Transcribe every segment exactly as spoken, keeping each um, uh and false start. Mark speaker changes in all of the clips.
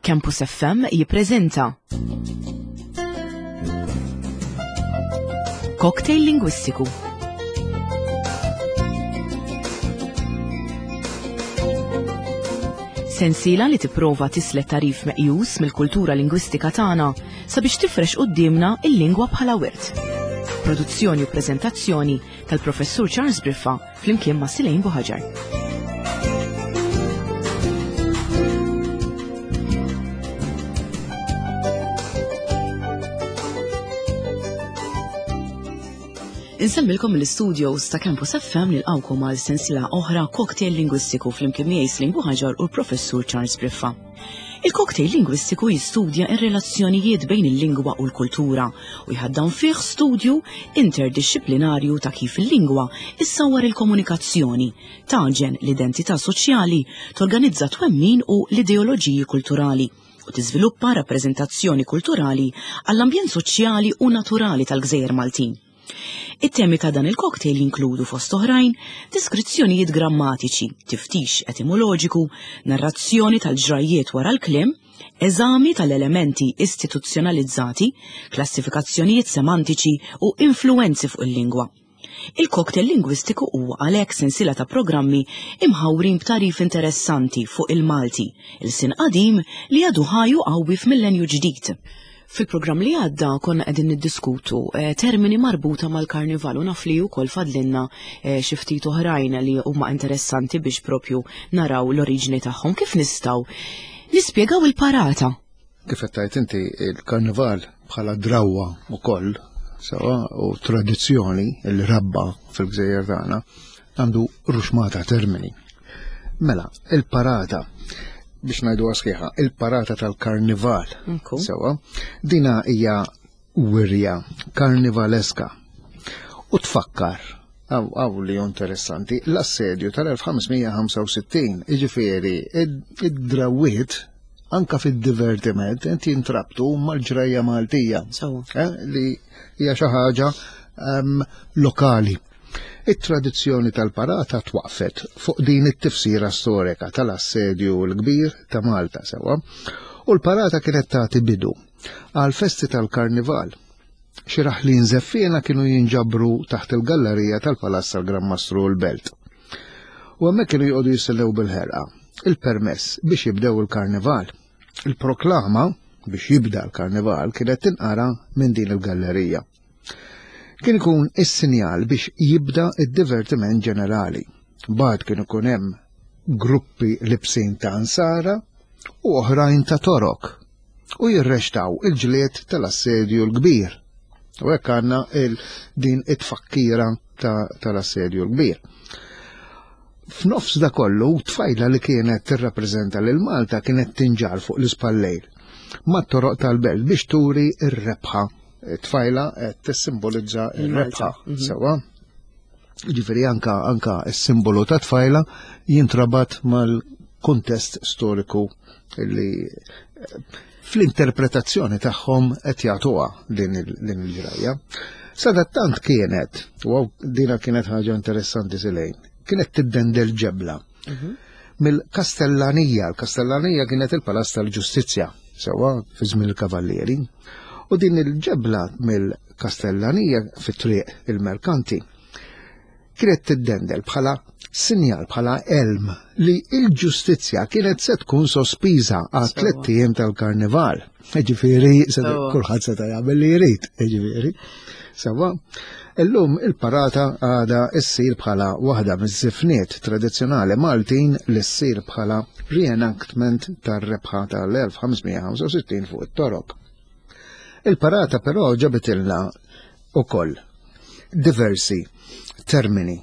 Speaker 1: Campus F M jippreżenta Cocktail Lingwistiku. Sensiela li tipprova tislet tarif meqjus mill-kultura lingwistika tagħna sabiex tifrex quddiemna il-lingwa bħala wirt. Produzzjoni u preżentazzjoni tal-Professur Charles Briffa flimkien ma' Silejn Buħaġar. Insemmilkom l-studios ta' Campus F M nilqawkom għal sensiela oħra Cocktail Lingwistiku flimkien miegħi Silejn Buħaġar u l-Professur Charles Briffa. Il-cocktail lingwistiku jistudja r-relazzjonijiet bejn il-lingwa u l-kultura u jħaddan fih studju interdixxiplinarju ta' kif il-lingwa issawwar il-komunikazzjoni, taġen l-identità soċjali, torganizza twemmin u l-ideoloġiji kulturali u tiżviluppa rappreżentazzjoni kulturali għall-ambjent soċjali u naturali tal-Gżejjer Maltin. It-temi ta' dan il-cocktail jinkludu fost oħrajn deskrizzjonijiet grammatiċi, tiftix etimoloġiku, narrazzjoni tal-ġrajjiet wara l-kliem, eżami tal-elementi istituzzjonalizzati, klassifikazzjonijiet semantiċi u influenzi fuq il-lingwa. Il-cocktail lingwistiku huwa għalhekk sensiela ta' programmi imħawrin b'tarif interessanti fuq il-Malti, il-sin qadim li għadu ħaju qawwi f'millenju ġdid. Fil-programm li għadda konna qegħdin niddiskutu, eh, termini marbuta mal-karnival u naf li wkoll fadlinna, eh, xi ftit oħrajn li huma interessanti biex propju naraw l-oriġini tagħhom. Kif nistgħu nispjegaw il-parata?
Speaker 2: Kif qed tgħid inti, il-karnival bħala drawwa wkoll sewa u tradizzjoni li rabba fil-gżejjer tagħna għandu ruxmata termini. Mela, il-parata, biex ngħidu sħiħa, il-parata tal-karnival.
Speaker 1: Nku.
Speaker 2: Sewa, dina hija wirja karnivaleska u tfakkar, għaw, għaw li interessanti, l-assedju tal-elf ħamsmija ħamsa u sittin, jiġifieri id-, id-drawiet anka fid-divertiment inti jintrabtu mal-ġrajja Maltija.
Speaker 1: Sewa.
Speaker 2: Eh, li hija xi ħaġa, ehm, lokali. It-tradizzjoni tal-parata twaqfet fuq din it-tifsira storika tal-assedju l-kbir ta' Malta sewa, u l-parata kienet tagħti bidu għal festi tal-karnival. Xi raħlin żeffiena kienu jinġabru taħt il-gallerija tal-Palazz tal-Gran Mastru l-Belt. U hemmhekk kienu joqogħdu jistennew bil-ħerqa il-permess biex jibdew il-karnival. Il-proklama biex jibda l-karnival kienet tinqara minn din il-gallerija. Kien ikun is-sinjal biex jibda id-divertiment ġenerali. Bad kien ikun hemm gruppi libsin ta' ansara u oħrajn ta' torok u jirrextaw il-ġlied tal-assedju l-kbir. U hekk għandna il-, din it-tfakkira ta-, tal-assedju l-kbir. F'nofs da kollu, tfajla li kienet tirrappreżenta lil Malta kienet tinġar fuq l-ispallejl mat-toroq tal-belt biex turi r-rebħa. Tfajla qed tissimbolizza r-rebħa,
Speaker 1: Mhm.
Speaker 2: sewa. Ġifieri anka, anka s-simbolu ta' tfajla jintrabat mal-kuntest storiku li, eh, fl-interpretazzjoni tagħhom qed jagħtuha din il-, din il-ġrajja. Sadattant kienet, u hawn dina kienet ħaġa interessanti Silejn, kienet tiddendel ġebla
Speaker 1: Mhm.
Speaker 2: mill-Kastellanija. Il-Kastellanija kienet il-Palazz tal-Ġustizzja, sewa fi żmien il-Kavallieri. U din il-ġebla mill-Kastellanija fit-triq il-Merkanti kienet tiddendel bħala sinjal, bħala elm li il-ġustizzja kienet se tkun sospiża għal
Speaker 1: Sewa.
Speaker 2: tliet ijiem tal-karnival. Ġifieri, se
Speaker 1: Sewa.
Speaker 2: kulħadd seta' jagħmel li jrid, ġifieri. Sewa, illum il-parata għadha ssir bħala waħda miż-żifniet tradizzjonali Maltin li ssir bħala reenactment tar-rebħa tal-elf ħamsmija ħamsa u sittin fuq it-torok. Il-parata però ġabitilna ukoll diversi termini.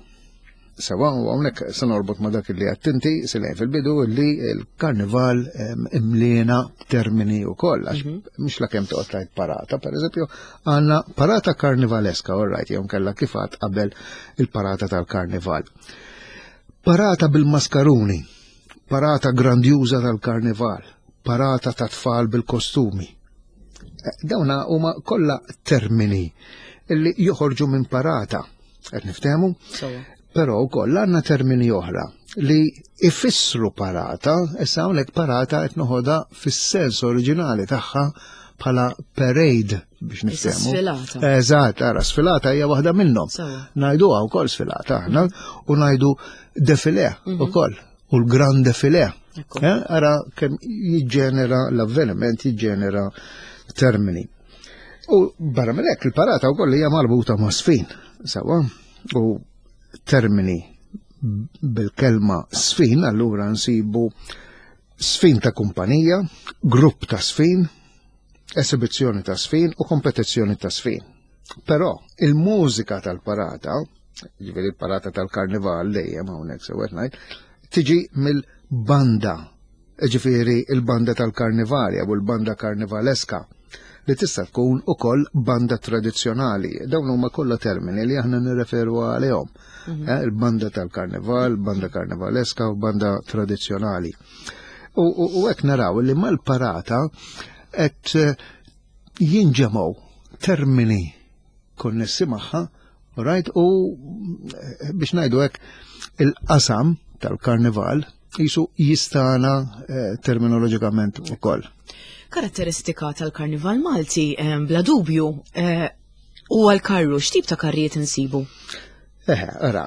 Speaker 2: Sewa, u hawnhekk se norbot ma' dak li għedt inti, Silejn fil-bidu, li l-karnival, em, imliena termini wkoll, għax
Speaker 1: Mhm.
Speaker 2: mhux la kemm toqgħod tgħid parata, pereżempju, għandna parata karnivaleska, all right, jew kellha kif għad qabel il-parata tal-karnival. Parata bil-maskaruni, parata grandjuża tal-karnival, parata ta' tfal bil-kostumi. Eh, dawna huma kollha termini li joħorġu minn parata. Qed niftehmu?
Speaker 1: Sewa.
Speaker 2: Però wkoll għandna termini oħra li ifissru parata, issa hawnhekk parata qed noħodha fis-sens oriġinali tagħha bħala parade biex niftehmu.
Speaker 1: Sfilata.
Speaker 2: Eżatt, ara, sfilata hija waħda minnhom. Ngħiduha wkoll sfilata aħna u ngħidu defilé mhm. ukoll u l-grand defilé. Eh, ara kemm jiġġenera l-avveniment, jiġġenera termini. U barra minn hekk il-parata wkoll hija marbuta ma' sfin, sewwa, u termini bil-kelma sfin, allura nsibu sfin ta' kumpanija, grupp ta' sfin, esibizzjoni ta' sfin u kompetizzjoni ta' sfin. Però il-mużika tal-parata, ġifieri il-parata tal-karnival dejjem hawnhekk sewwa ngħid, tiġi mill-banda, ġifieri il-banda tal-karnival jew il-banda karnivaleska li tista' tkun ukoll banda tradizzjonali. Dawn huma kollha termini li aħna nirreferu għalihom. Mhm. Eh, il-banda tal-karnival, banda karnivaleska u banda tradizzjonali. U hekk naraw li mal-parata qed eh, jinġemgħu termini konnessi magħha, right, u eh, biex ngħidu hekk il-qasam tal-karnival jisu jistana eh, terminoloġikament ukoll.
Speaker 1: Karatteristika tal-karnival Malti bla dubju huwa l-karru, x'tip ta' karrijiet insibu?
Speaker 2: Eħe, ara,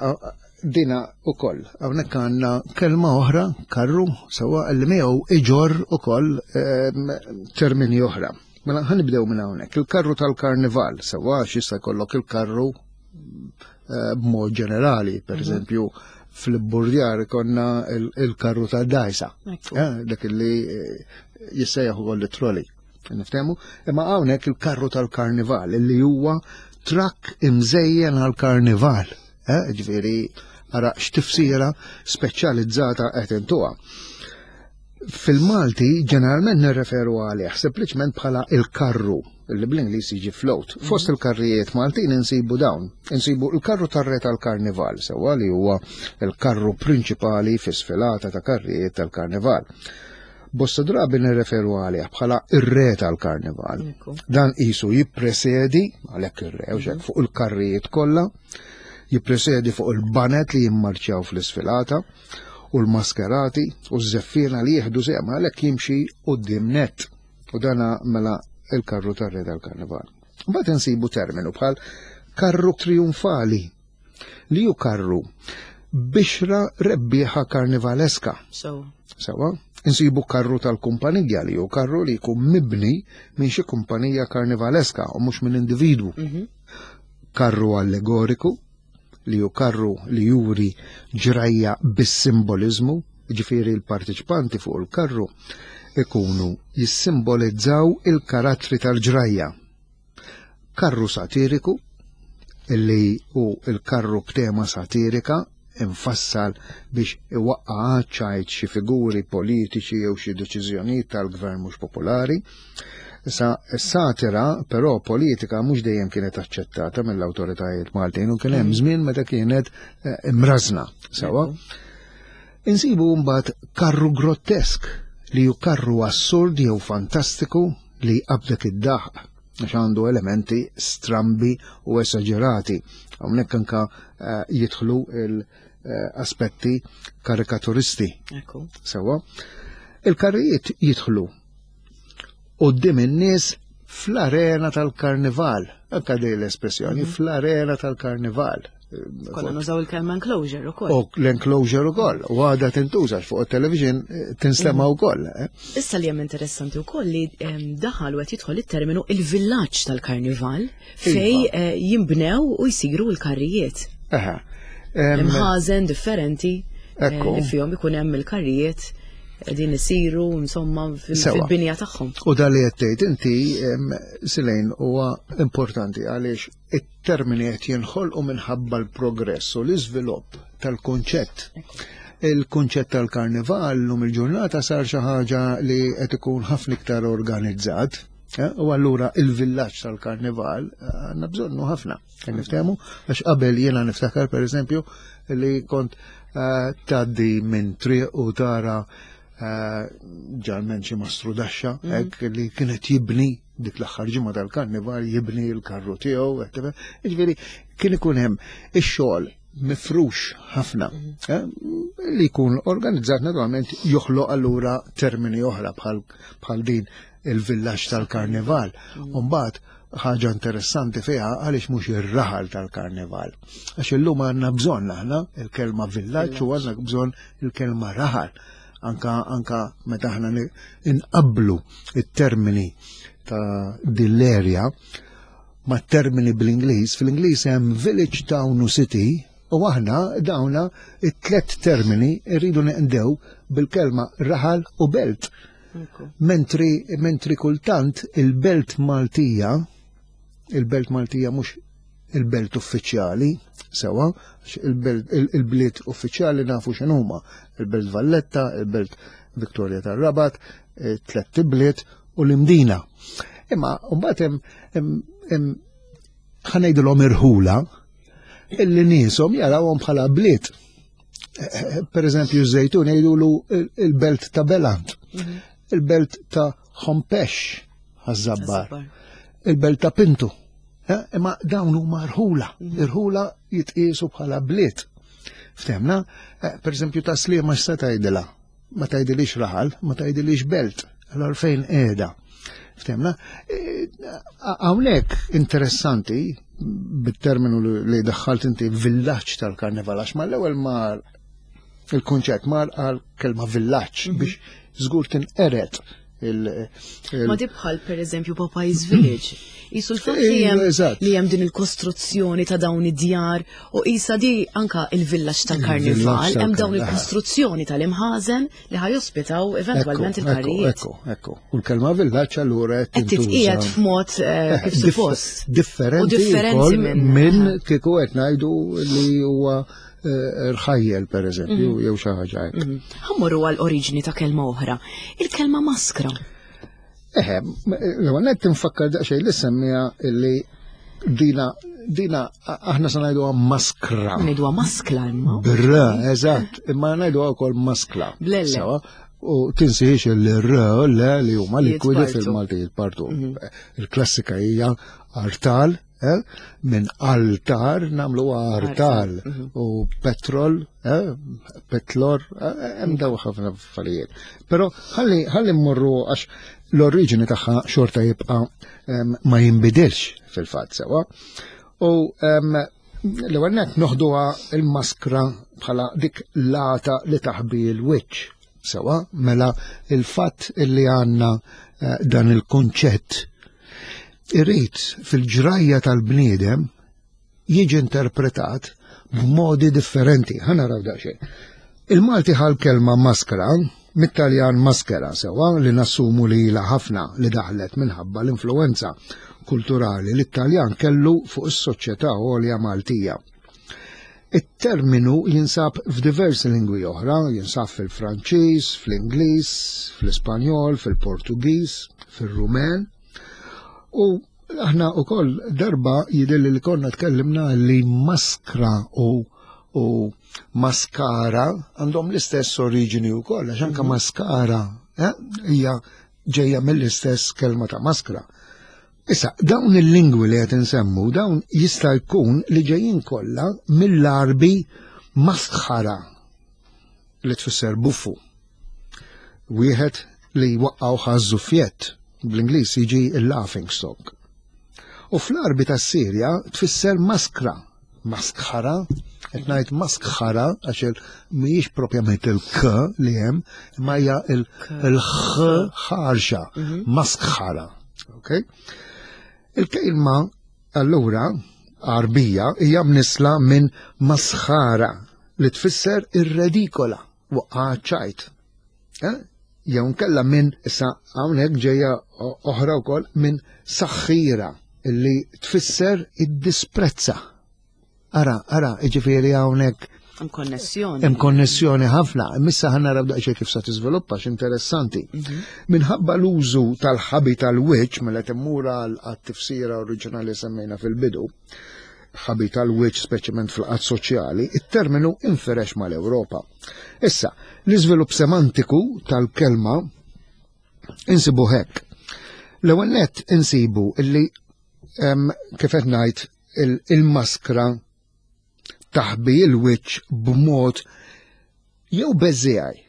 Speaker 2: dina ukoll. Hawnhekk għandna kelma oħra, karru, sewwa li miegħu iġorr ukoll ehm, termini oħra. Mela ħanibdew minn hawnhekk. Il-karru tal-karnival, sewwa jista' jkollok il-karru eh, b'mod ġenerali, per mhm. eżempju, fil-burdjar konna il-karru ta' dajsa, eh, dak li eh, jissejjaħ ukoll it-trolley. Niftehmu? Imma hawnhekk il-karru tal-karnival li huwa trakk imżejjen għal-karnival. Eh, ġifieri ara x'tifsira speċjalizzata qed intuha. Fil-Malti ġeneralment nirreferu għalih sempliċement bħala il-karru li bl-Ingliż jiġi float. Mhm. Fost il-karrijiet Maltin insibu dawn. Insibu il-karru tar-re tal-karnival, sewwa li huwa il-karru prinċipali fi sfilata ta' karrijiet tal-karnival. Bosta drabi nirreferu għalih bħala ir-re tal-karnival. Dan qisu jippresedi, għalhekk ir-re, u mhm. fuq il-karrijiet kollha, jippresedi fuq il-banet li jimmarċjaw fl-isfilata u l-maskerati u z-zeffiena li jieħdu sehem għalhekk jimxi quddiem net. U dana mela il-karru tar-re tal-karnival. Mbagħad insibu terminu bħal karru trionfali li hu karru bixra rebbieħa karnivaleska.
Speaker 1: So.
Speaker 2: Sewa, insibu karru tal-kumpanija li hu karru li jkun mibni minn xi kumpanija karnivaleska u mhux minn individwu. Mm -hmm. Karru allegoriku li hu karru li juri ġrajja bis-simboliżmu, ġifieri l-partiċipanti fuq il-karru ikunu jissimbolizzaw il-karattri tal-ġrajja. Karru satiriku, illi hu il-karru b'tema satirika infassal biex iwaqqa' ċajt xi figuri politiċi jew xi deċiżjonijiet tal-gvern mhux popolari. Issa satira però politika mhux dejjem kienet aċċettata mill-awtoritajiet Maltin u kien hemm mm. żmien meta kienet eh, imrażna sewwa. Insibu mbagħad karru grottesk li hu karru assurd jew fantastiku li jqabdek id-daħq għax għandu elementi strambi u esaġerati. Hawnhekk anka eh, jidħlu l-aspetti karikaturisti. Sewwa. Il-karrijiet jidħlu quddiem in-nies fl-arena tal-karnival. Anka dej l-espressjoni, mhm. fl-arena tal-karnival.
Speaker 1: Konna nużaw il-kelma enclosure ukoll.
Speaker 2: U l-enclosure ukoll, u għadha tintuża fuq il-television eh, tinstema' mhm. ukoll. Eh.
Speaker 1: Issa li hemm interessanti wkoll li ehm, daħal u qed jidħol it-terminu il-villaġġ tal-karnival fej iva. eh, jimbnew u jsiru l-karrijiet.
Speaker 2: Eħe.
Speaker 1: Imħażen differenti li fihom ikun hemm il-karrijiet qegħdin isiru insomma fil-binja tagħhom.
Speaker 2: U dan li qed tgħid inti Silejn huwa importanti għaliex it-termini qed jinħolqu minħabba l-progress u l-iżvilupp tal-kunċett. Il-kunċett tal-karnival lum il-ġurnata sar xi ħaġa li qed ikun ħafna iktar organizzat. Eh, u allura il-villaġġ tal-karnival eh, għandna bżonnu ħafna. Niftehmu għax qabel jiena niftakar pereżempju li kont eh, tgħaddi minn triq u tara eh, ġalment xi mastru daxxa mhm. hekk li kienet jibni dik l-aħħar ġimgħa tal-karnival jibni l-karru tiegħu, jiġifieri kien ikun hemm ix-xogħol mifrux ħafna, eh, li jkun organizzat naturalment joħloq allura termini oħra bħal din il-villaġġ tal-karnival. Umbagħad ħaġa interessanti fiha għaliex mhux ir-raħal tal-karnival. Għax illum għandna bżonn aħna il-kelma villaġġ u għandna bżonn il-kelma raħal. Anka anka meta aħna inqablu it-termini ta' din l-erja ma' termini bl-Ingliż, fil-Ingliż hemm village, town u city, u aħna dawna it-tlet termini rridu neqdew bil-kelma raħal u belt. Mentri, mentri kultant il-belt Maltija, il-belt Maltija mhux il-belt uffiċjali, sewa, il-bliet uffiċjali nafu x'inhuma, il-belt Valletta, il-belt Victoria tar-Rabat, tlet ibliet u l-Imdina. Imma mbagħad hemm ħa ngħidulhom irħula illi nieshom jarawhom bħala bliet. Per eżempju, Żejtun jgħidulu il-belt ta' Belant, il-belt ta' Hompesch, Ħaż-Żabbar, il-belt ta' Pintu. Imma dawn huma rħula, irħula jitqiesu bħala bliet. Ftemna, per eżempju ta' Sliema x'se tgħidilha? Ma tgħidilix raħal, ma tgħidilix belt, allora fejn qiegħda. Ftemna, hawnhekk interessanti bit-terminu li daħħalt inti villaġġ tal-karnival, għax mal-ewwel mar il-kunċett mar għal kelma villaġġ biex żgur tinqered.
Speaker 1: Ma di bħal per eżempju Popeye's Village. Jisu l-fatt li hemm li hemm din il-kostruzzjoni ta' dawn id-djar u isa di anka il-villaġġ tal-karnival, hemm dawn il-kostruzzjoni tal-imħażen li ħa jospitaw eventwalment il-karrijiet.
Speaker 2: Ekku, ekku. U l-kelma villaġġ allura
Speaker 1: qed titqiegħed f'mod kif suppost.
Speaker 2: Differenti minn kieku qed ngħidu li huwa rħajjel per eżempju, jew xi ħaġa hekk.
Speaker 1: Ħa mmorru għal oriġini ta' kelma oħra, il-kelma maskra.
Speaker 2: Eħe, l-ewwel nett tinfakkar daqsxejn li semmija illi dina dina aħna se ngħiduha maskra.
Speaker 1: Ngħiduha maskla imma.
Speaker 2: Bra, eżatt, imma ngħiduha wkoll maskla.
Speaker 1: Blelle.
Speaker 2: U tinsiex il-r, le li huma likwidi fil-Malti jitpartu. Il-klassika hija artal, minn altar namlu artal u petrol, petlor, hemm daw ħafna affarijiet. Però ħalli ħalli mmorru għax l-oriġini tagħha xorta jibqa' ma jinbidilx fil-fatt sewa. U l-ewwel nett noħduha il-maskra bħala dik lata li taħbi l-wiċċ. Sewa, mela il-fatt illi għandna dan il-konċett irrid fil-ġrajja tal-bniedem jiġi interpretat b'modi differenti. Ħa naraw daqsxejn. Il-Malti ħal kelma maskra mit-Taljan maschera sewa li nassumu li ilha ħafna li daħlet minħabba l-influenza kulturali li t-Taljan kellu fuq is-soċjetà għolja Maltija. It-terminu jinsab f'diversi lingwi oħra, jinsab fil-Franċiż, fl-Ingliż, fl-Ispanjol, fil-Portugiż, fil-Rumen. U aħna wkoll darba jidhirli li konna tkellimna li maskra u, u maskara għandhom l-istess oriġini wkoll, għax anke maskara hija ġejja mill-istess kelma ta' maskra. Issa, dawn il-lingwi li qed insemmu, dawn jista' jkun li ġejjin kollha mill-Arbi maskara li tfisser buffu. Wieħed li waqqgħu ħażżuffjett, bl-Ingliż jiġi il-laughing stock. U fl-Arbi tas-Sirja tfisser maskra, maskara, qed ngħid maskara għax mhijiex propjament il-k li hemm, imma hija il-ħ ħarxa, maskara. Okay? Il-kelma allura Arbija hija mnisla minn masħara li tfisser ir-redikola, waqqa ċajt. Jew nkella minn issa hawnhekk ġejja oħra wkoll minn saħħira illi tfisser id-disprezza. Ara, ara, jiġifieri hawnhekk
Speaker 1: hemm konnessjoni.
Speaker 2: Hemm konnessjoni ħafna. Missa ħa naraw daqsxejn kif sa tiżviluppa x'interessanti. Minħabba l-użu tal-ħabi tal-wiċċ mela timmura għat-tifsira oriġinali semmejna fil-bidu, ħabi tal-wiċċ speċjalment fil-qatt soċjali, it-terminu inferex mal-Ewropa. Issa, l-iżvilupp semantiku tal-kelma insibu hekk. L-ewwel nett insibu illi kif qed ngħid il-maskra taħbi il-wiċċ b'mod jew beżżiegħi.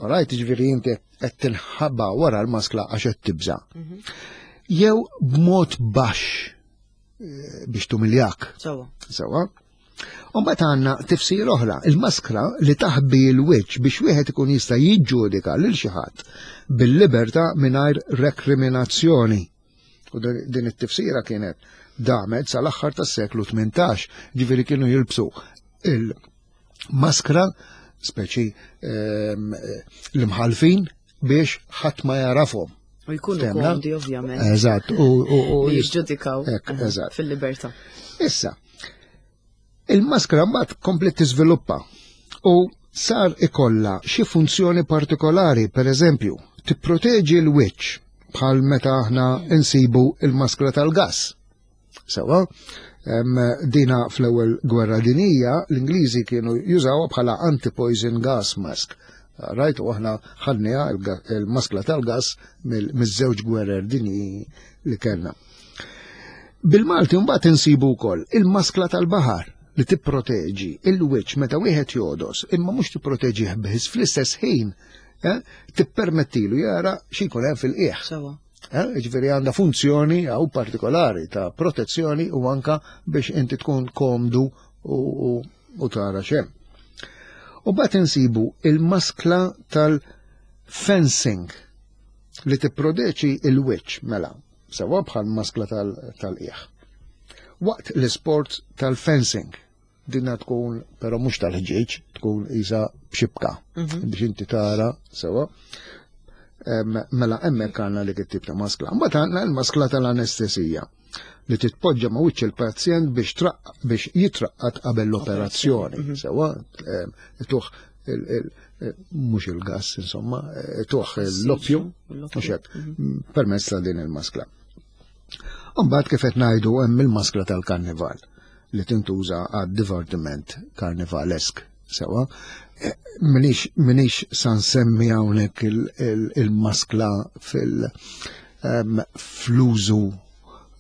Speaker 2: Alright, ġifieri inti qed tinħaba wara l-maskla għax qed tibża. Jew b'mod baxx eh, biex tumiljak.
Speaker 1: Sewwa.
Speaker 2: Sewwa. U mbagħad għandna tifsir oħra, il-maskra li taħbi l-wiċċ biex wieħed ikun jista' jiġġudika lil xi ħadd bil-libertà mingħajr rekriminazzjoni. U din din it-tifsira kienet damet sal-aħħar tas-seklu tmintax, ġifieri kienu jilbsu il-maskra speċi ehm, l-imħalfin biex ħadd ma jarafhom.
Speaker 1: U jkunu
Speaker 2: Ftemna?
Speaker 1: komdi ovvjament.
Speaker 2: Eżatt, u u u
Speaker 1: Li jiġġudikaw
Speaker 2: Hekk,
Speaker 1: aha,
Speaker 2: eżatt.
Speaker 1: fil-libertà.
Speaker 2: Issa, il-maskra mbagħad komplet tiżviluppa u sar ikolla xi funzjoni partikolari, per eżempju, tipproteġi l-wiċċ bħal meta aħna insibu il-maskra tal-gas. Sewwa, em, dina fl-ewwel gwerra dinija l-Ingliżi kienu jużawha bħala anti-poison gas mask. Rajt, u aħna ħadniha il-ga- il-maskla tal-gas mill- miż-żewġ gwerer dinji li kellna. Bil-Malti mbagħad insibu wkoll il-maskla tal-baħar li tipproteġi il-wiċċ meta wieħed jogħdos, imma mhux tipproteġih biss, fl-istess ħin eh, tippermettilu jara xi jkun hemm fil-qiegħ.
Speaker 1: Sewwa.
Speaker 2: Eh, Ġifieri għandha funzjoni għaw partikolari ta' protezzjoni u anka biex inti tkun komdu u, u, u tara xem. U mbagħad insibu il-maskla tal-fencing li tipprodeċi il-wiċċ mela, sewwa bħal maskla tal-qiegħ. Waqt l-sport tal-fencing, dinna tkun, però mhux tal-ħġieġ, tkun isa b'xibka, biex inti tara, sewwa. Em, Mela hemmhekk għandna dik it-tip ta' maskla. Mbagħad għandna l-maskla tal-anestesija li titpoġġa ma' wiċċ il-pazjent biex traq biex jitraqqat qabel l-operazzjoni. Sewwa, em, tuħ il- il- mhux il-gas, insomma, eh, tuħ l-oppju, mhux hekk, permezz ta' din il-maskla. Mbagħad kif qed ngħidu hemm il-maskla tal-karnival li tintuża għad divertiment karnivalesk. Sewwa, Eh, minix minix sa nsemmi hawnhekk il- il- il-maskla fil em, fl-użu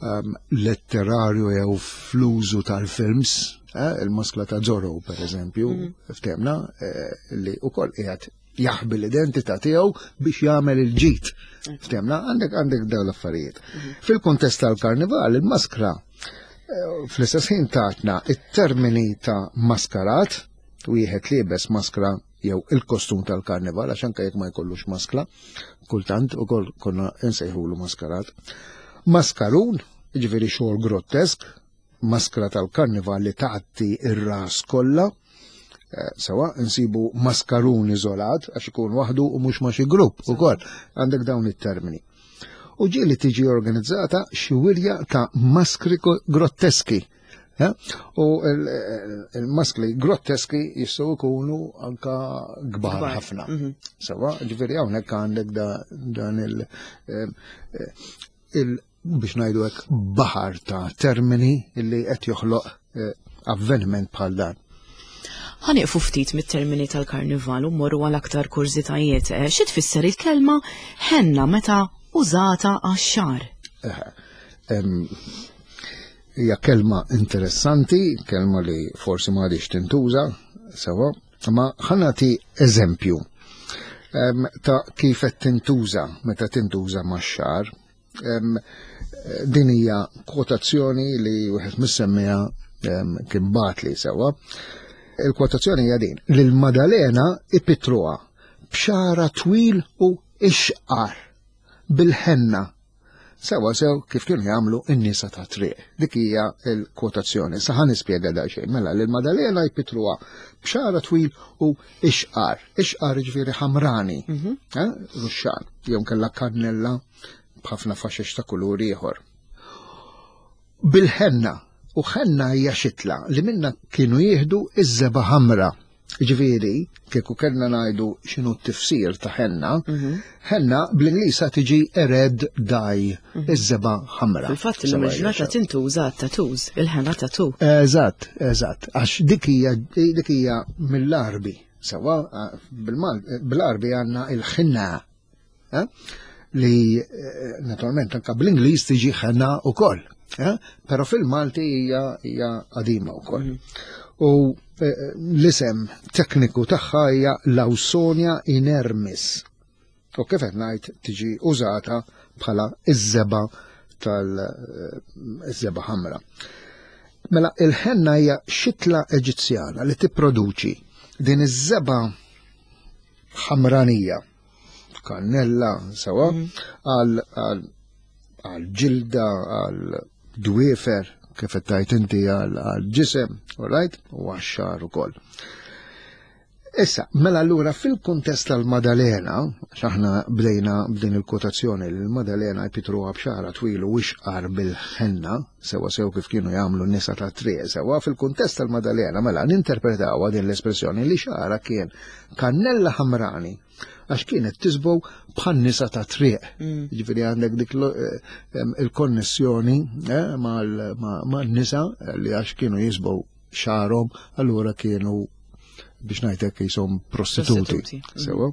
Speaker 2: em, letterarju jew fl-użu tal-films, eh, il-maskla ta' Zorro per eżempju, ftemna, eh, li ukoll qiegħed jaħbi l-identità tiegħu biex jagħmel il-ġid. Ftemna, għandek għandek dawn l-affarijiet. Fil-kuntest tal-karnival, il-maskra eh, fl-istess ħin tatna it-termini ta' maskarat, wieħed liebes maskra jew il-kostum tal-karnival, għax anke jekk ma jkollux maskla, kultant ukoll konna nsejħulu maskarat. Maskarun, ġifieri xogħol grottesk, maskra tal-karnival li tgħatti ir-ras kollha, eh, sewwa nsibu maskarun iżolat għax ikun waħdu u mhux ma' xi grupp ukoll għandek dawn it-termini. U ġieli tiġi organizzata xi wirja ta' maskri grotteski. Eh? U il-maskli grotteski jistgħu jkunu anka kbar ħafna.
Speaker 1: Mhm.
Speaker 2: Sewwa, ġifieri hawnhekk għandek dan il- eh, il biex ngħidu hekk baħar ta' termini illi qed joħloq eh, avveniment bħal dan.
Speaker 1: Ħa nieqfu ftit mit-termini tal-karnival u mmorru għal aktar kurżitajiet. Xi tfisser il-kelma ħenna meta użata għax-xagħar?
Speaker 2: Hija kelma interessanti, kelma li forsi ma għadix tintuża, sewwa, ma ħa nagħti eżempju ta' kif qed tintuża meta tintuża max-xagħar. Din hija kwotazzjoni li wieħed mis-semmiegħa kien bagħatli, sewwa. Il-kwotazzjoni hija din: lil Madalena ipitruha b'xagħra twil u ixqar bil-ħenna. Sewwa sew kif kienu jagħmlu n-nisa ta' triq. Dik hija l-kwotazzjoni. Sa ħa nispjega daqsxejn. Mela lil Madalena jpitruha b'xagħra twil u ixqar. Ixqar ġifieri ħamrani.
Speaker 1: Mhm.
Speaker 2: Eh, Ruxxan. Jew kellha kannella b'ħafna faxex ta' kulur ieħor. Bil-ħenna. U ħenna hija xitla li minna kienu jieħdu iż-żebgħa ħamra. Ġifieri, kieku kellna ngħidu x'inhu t-tifsir ta' ħenna,
Speaker 1: Mhm.
Speaker 2: ħenna bl-Ingliż tiġi red dye, iż-żebgħa ħamra.
Speaker 1: Fil-fatt illum il-ġurnata tintuża tattoos, il-ħenna tattoo.
Speaker 2: Eżatt, eżatt, għax dik hija dik hija mill-Arbi. Sewwa, bil-Arbi għandna il-ħinna. Eh? li eh, naturalment anka bl-Ingliż tiġi ħena wkoll. Eh? Però fil-Malti hija hija qadima wkoll. U eh, l-isem tekniku tagħha hija Lawsonia inermis. U kif qed ngħid tiġi użata bħala iż-żebgħa tal-żebgħa ħamra. Mela il-ħenna hija xitla Eġizzjana li tipproduċi din iż-żebgħa ħamranija, kannella, sewa, għal għal għal ġilda, għal dwiefer, kif qed tgħid inti għal għal ġisem, all right? U għax-xagħar ukoll. Issa, mela allura fil-kuntest tal-Madalena, għax aħna bdejna b'din il-kwotazzjoni li l-Madalena jpitruha b'xagħra twil u ixqar bil-ħenna, sewa sew kif kienu jagħmlu n-nisa ta' triq, sewa fil-kuntest tal-Madalena, mela ninterpretawha din l-espressjoni li xagħra kien kannella ħamrani għax kienet tiżbogħ bħal nisa ta' triq. Ġifieri għandek dik lo- eh, em, il-konnessjoni eh, mal- ma' man-nisa li għax kienu jiżbogħu xagħarhom, allura kienu biex ngħidlek jisom prostituti.
Speaker 1: Prostituti, mm.
Speaker 2: Sewa?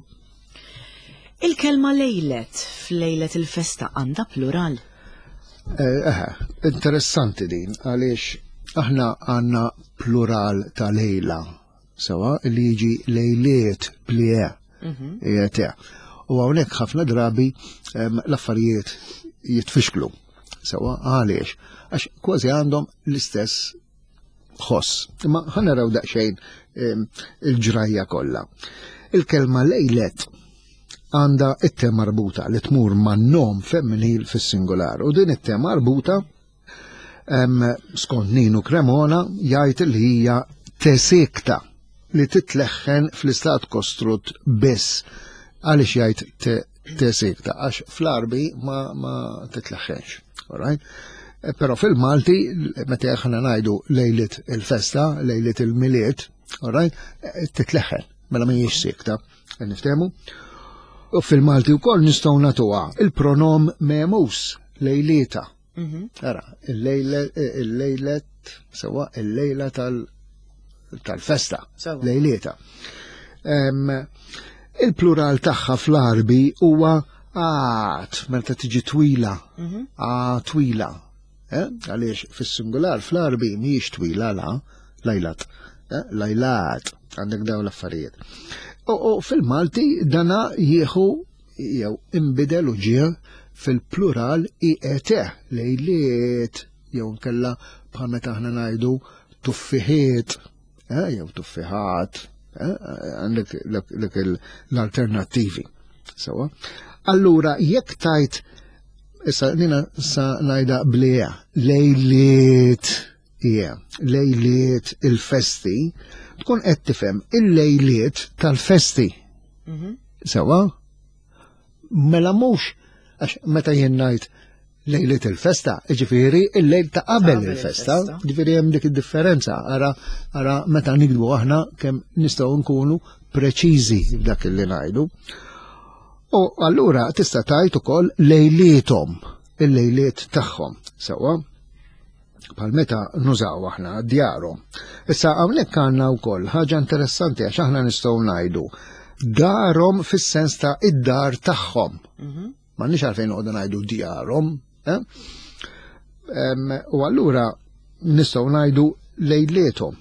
Speaker 1: Il-kelma lejlet f'lejlet il-festa għandha plural.
Speaker 2: Eh, eh, interessanti din, għaliex aħna għandna plural ta' lejla, sewa, li jiġi lejliet blie, mm U hawnhekk ħafna drabi em, l-affarijiet jitfixklu. Sewa, għaliex? Għax kważi għandhom l-istess ħoss. Imma ħa naraw daqsxejn em, il-ġrajja kollha. Il-kelma lejlet għandha it-te marbuta li tmur man-nom femminil fis-singular u din it-te marbuta em, skont Ninu Cremona jgħid li hija te siekta li titleħħen fl-istat kostrut biss. Għaliex jgħid te, te siekta? Għax fl-Arbi ma, ma titleħħenx. Alright? Eh, Però fil-Malti, meta aħna ngħidu lejlit il-festa, lejlit il-Milied, alright, eh, titleħħen, mela mhijiex siekta. Niftehmu? U fil-Malti wkoll nistgħu nagħtuha il-pronom memus, lejlieta. Ara, il-lejlet, sewa, il-lejla tal- tal-festa,
Speaker 1: Sewa.
Speaker 2: lejlieta. Em, Il-plural tagħha fl-Arbi huwa għat, meta tiġi twila, a twila. Eh? Għaliex fis-singular fl-Arbi mhijiex twila la, lajlat, eh? Lajlat, għandek dawn l-affarijiet. U, u fil-Malti dana jieħu jew imbidel u ġie fil-plural I E T, lejliet, jew nkella bħal meta aħna ngħidu tuffiħiet, eh, jew tuffiħat, eh, għandek dak l-alternattivi. Sewa. Allura, jekk tajt, issa nina sa ngħidha blija, lejliet, ija, lejliet il-festi, tkun qed tifhem il-lejliet tal-festi. Sewa? Mela mhux għax meta jien ngħid lejliet il-festa, ġifieri il-lejl ta' qabel
Speaker 1: Qabel
Speaker 2: il-festa,
Speaker 1: il-festa.
Speaker 2: Ġifieri hemm dik id-differenza, ara ara meta nikdbu aħna kemm nistgħu nkunu preċiżi f'dak li ngħidu. U allura tista' tgħid ukoll lejliethom, il-lejliet tagħhom, sewa? Bħal meta nużaw aħna djarhom. Issa hawnhekk għandna wkoll ħaġa interessanti għax aħna nistgħu ngħidu darhom fis-sens ta' id-dar tagħhom. M'għandniex għalfejn noqogħdu ngħidu djarhom. Eh? Em, U allura nistgħu ngħidu lejliethom.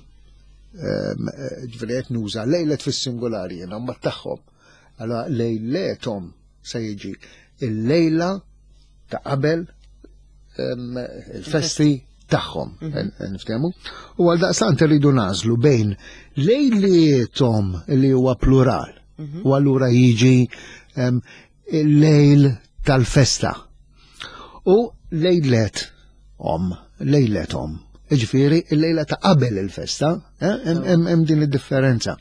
Speaker 2: Em, eh, Ġifieri qed nuża lejlet fis-singolari jiena mbagħad tagħhom. Allora lejlethom se jiġi il-lejla ta' qabel em, il-festi tagħhom, niftehmu. U għal daqstant irridu nagħżlu bejn lejliethom li huwa plural u allura jiġi em, il-lejl tal-festa u lejlet om, lejlet om. Ġifieri, il-lejla ta' qabel il-festa, eh, hemm hemm- hemm din id-differenza.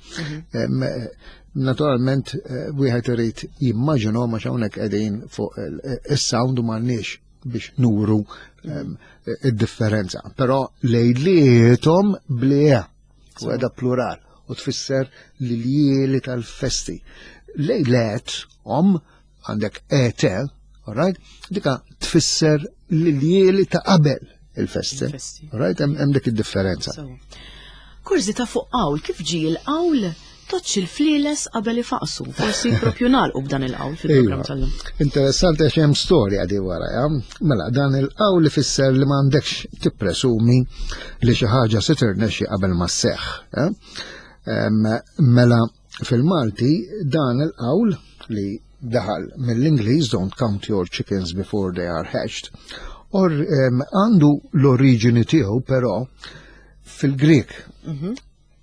Speaker 2: Em, eh, Naturalment, eh, wieħed irid jimmaġinu ma hawnhekk qegħdin fuq il- is-sound u m'għandniex biex nuru em, id-differenza. Però lejliethom blija, u għeda plural, u tfisser l-ljieli tal-festi. Lejlet om għandek E T, alright? Dika tfisser l-ljieli ta' qabel il-festi.
Speaker 1: Il-festi.
Speaker 2: Alright? Hemm hemm dik id-differenza.
Speaker 1: So. Kurżità fuq qawl, kif ġie il-qawl Tgħoddx il-flieles qabel ifaqsu, forsi propju nagħlqu b'dan il-qawl fil-programm
Speaker 2: Iva.
Speaker 1: tal-lum.
Speaker 2: Interessanti għax hemm storja di wara, ja? Mela, dan il-qawl li fisser li m'għandekx tippresumi li xi ħaġa se tirnexxi qabel ma sseħħ. ja? Em, Mela, fil-Malti dan il-qawl li daħal mill-Ingliż "Don't count your chickens before they are hatched", or em, għandu l-oriġini tiegħu però fil-Grek.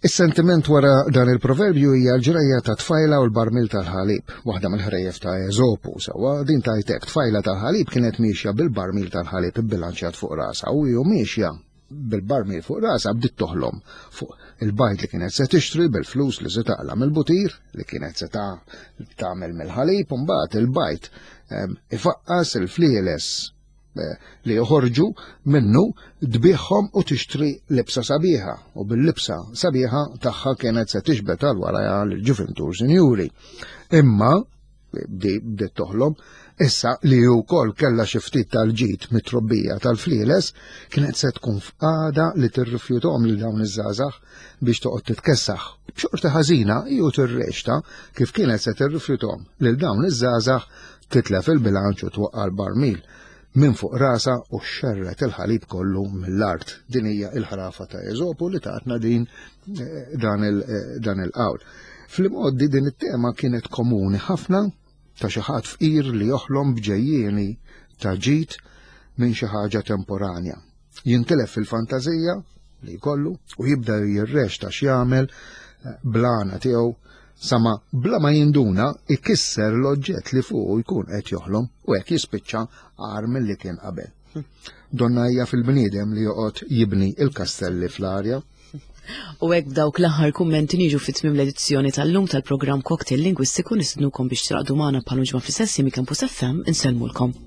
Speaker 2: Is-sentiment wara dan il-proverbju hija l-ġrajja ta' tfajla u l-barmil tal-ħalib, waħda mill-ħrejjef ta' Eżopu, sewwa. Din tajtek tfajla tal-ħalib kienet miexja bil-barmil tal-ħalib ibbilanċjat fuq rasa u ju miexja bil-barmil fuq rasa bdiet toħlom fuq il-bajd li kienet se tixtri bil-flus li se taqla mill-butir li kienet se ta' tagħmel mill-ħalib, u mbagħad il-bajd em, ifaqqas il-flieles eh, li joħorġu minnu, tbigħhom u tixtri libsa sabiħa, u bil-libsa sabiħa tagħha kienet se tiġbed għal warajha l-ġuvintur sinjuri. Imma bdi bdiet toħlom issa li wkoll kellha xi ftit tal-ġid mit-trobbija tal-flieles, kienet se tkun f'qagħda li tirrifjuthom lil dawn iż-żgħażagħ biex toqgħod titkessaħ. B'xorti ħażina ju tirreċta kif kienet se tirrifjuthom lil dawn iż-żgħażagħ, titlef il-bilanċ u twaqqa' l-barmil minn fuq rasa u xerret il-ħalib kollu mill-art. Din hija il-ħrafa ta' Eżopu li tatna din eh, dan il- eh, dan il-qawl. Fl-imgħoddi din it-tema kienet komuni ħafna ta' xi ħadd fqir li joħlom b'ġejjieni ta' ġid minn xi ħaġa temporanja. Jintilef fil-fantażija li jkollu u jibda jirreċta x'jagħmel eh, bl-għana tiegħu sama bla ma jinduna ikisser l-oġġett li fuq jkun qed joħlom u hekk jispiċċa agħar milli kien qabel. Donna hija fil-bniedem li joqgħod jibni il-kastelli fl-arja.
Speaker 1: U hekk b'dawk l-aħħar kummenti niġu fit tmiem l-edizzjoni tal-lum tal-programm Cocktail Lingwistiku. Nistednukom biex tingħaqdu magħna bħal ġimgħa fl-istess Campus F M. Insellmulkom.